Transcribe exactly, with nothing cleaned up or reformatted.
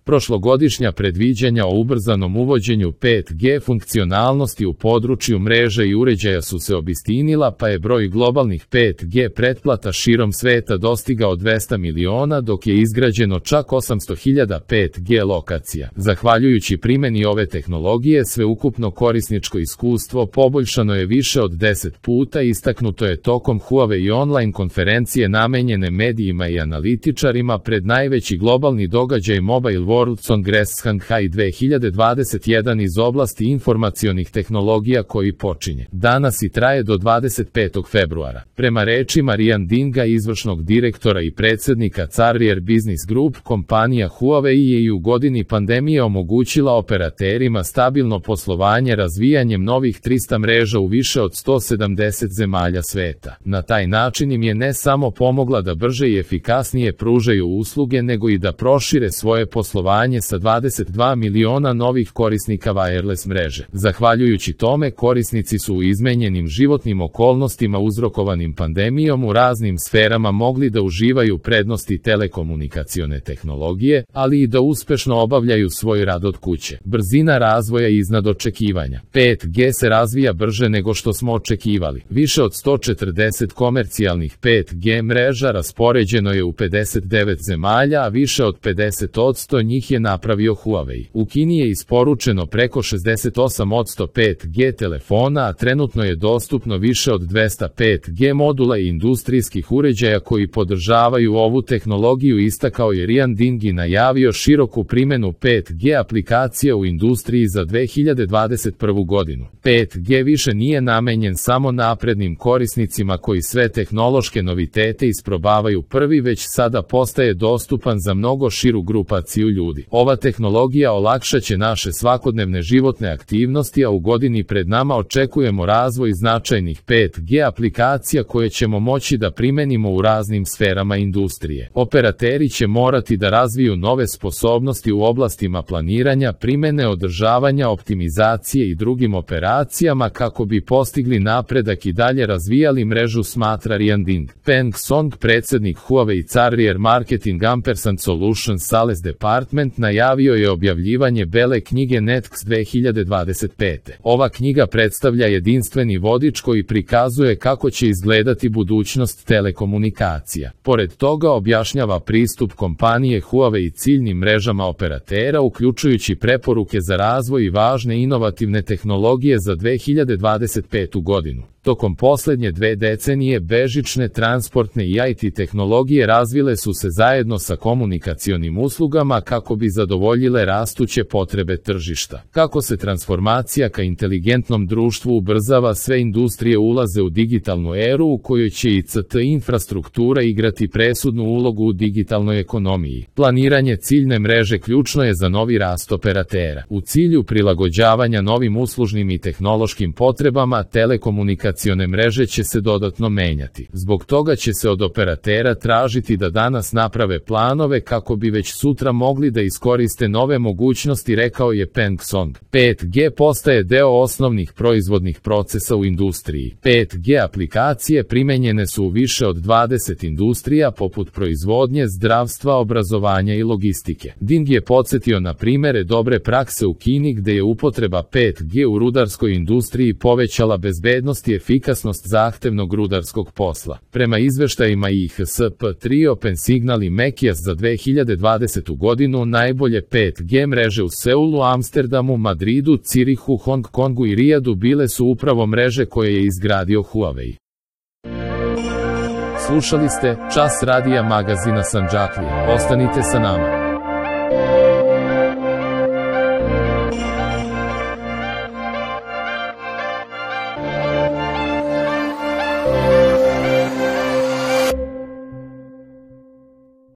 Prošlogodišnja predviđanja o ubrzanom uvođenju pet G funkcionalnosti u području mreže i uređaja su se obistinila, pa je broj globalnih pet G pretplata širom sveta dostigao dvesta miliona, dok je izgrađeno čak osamsto hiljada pet G lokacija. Zahvaljujući primjeni ove tehnologije, sveukupno korisničko iskustvo poboljšano je više od deset puta, istaknuto je tokom Huawei online konferencije namenjene medijima i analitičarima pred najveći globalni događaj Mobile World Congress Shanghai dve hiljade dvadeset jedan iz oblasti informacionih tehnologija koji počinje danas i traje do dvadeset petog februara. Prema rečima Rian Dinga, izvršnog direktora i predsjednika Carrier Business Group, kompanija Huawei je i u godini pandemije omogućila operaterima stabilno poslovanje razvijanjem novih trista mreža u više od sto sedamdeset zemalja sveta. Na taj način im je ne samo pomogla da brže i efikasnije pružaju usluge, nego i da prošire svoje poslovanje sa dvadeset dva miliona novih korisnika wireless mreže. Zahvaljujući tome, korisnici su u izmenjenim životnim okolnostima uzrokovanim pandemijom u raznim sferama mogli da uživaju prednosti telekomunikacione tehnologije, ali i da uspešno obavljaju svoj rad od kuće. Brzina razvoja iznad očekivanja. pet G se razvija brže nego što smo očekivali. Više od sto četrdeset komercijalnih pet G mreža raspoređeno je u pedeset devet zemalja, a više od pedeset posto njih je napravio Huawei. U Kini je isporučeno preko šezdeset osam posto pet G telefona, a trenutno je dostupno više od dvesta pet G modula i industrijskih uređaja koji podržavaju ovu tehnologiju, istakao je Rian Ding i najavio široku primjenu pet G aplikacija u industriji za dve hiljade dvadeset prvu godinu. pet G više nije namenjen samo naprednim korisnicima koji sve tehnološke novitete isprobavaju prvi, već sada postaje dostupan za mnogo širu grupaciju ljudi. Ova tehnologija olakšaće naše svakodnevne životne aktivnosti, a u godini pred nama očekujemo razvoj značajnih pet G aplikacija koje ćemo moći da primenimo u raznim sferama industrije. Operateri će morati da razviju nove sposobnosti u oblastima planiranja, primene, održavanja, optimizacije i drugim operacijama kako bi postigli napredak i dalje razvijali mrežu, smatra Rian Ding. Peng Song, predsjednik Huawei Carrier Marketing Ampersand Solutions Sales Department, najavio je objavljivanje bele knjige NetX dve hiljade dvadeset pete. Ova knjiga predstavlja jedinstveni vodič koji prikazuje kako će izgledati budućnost telekomunikacija. Pored toga objašnjava pristup kompanije Huawei ciljnim mrežama operatera, uključujući preporuke za razvoj i važne inovativne tehnologije za dve hiljade dvadeset petu godinu. Tokom posljednje dve decenije bežične, transportne i I T tehnologije razvile su se zajedno sa komunikacionim uslugama kako bi zadovoljile rastuće potrebe tržišta. Kako se transformacija ka inteligentnom društvu ubrzava, sve industrije ulaze u digitalnu eru u kojoj će I C T infrastruktura igrati presudnu ulogu u digitalnoj ekonomiji. Planiranje ciljne mreže ključno je za novi rast operatera. U cilju prilagođavanja novim uslužnim i tehnološkim potrebama, telekomunikacijne mreže će se dodatno menjati. Zbog toga će se od operatera tražiti da danas naprave planove kako bi već sutra mogli da iskoriste nove mogućnosti, rekao je Peng Song. pet G postaje deo osnovnih proizvodnih procesa u industriji. pet G aplikacije primenjene su u više od dvadeset industrija poput proizvodnje, zdravstva, obrazovanja i logistike. Ding je podsjetio na primere dobre prakse u Kini gde je upotreba pet G u rudarskoj industriji povećala bezbednost i efikasnost zahtevnog rudarskog posla. Prema izveštajima I H S P tri, Open Signal i Mekias za dve hiljade dvadesetu godinu najbolje pet G mreže u Seulu, Amsterdamu, Madridu, Cirihu, Hong Kongu i Rijadu bile su upravo mreže koje je izgradio Huawei. Slušali ste Čas radija magazina Sandžaklija. Ostanite sa nama.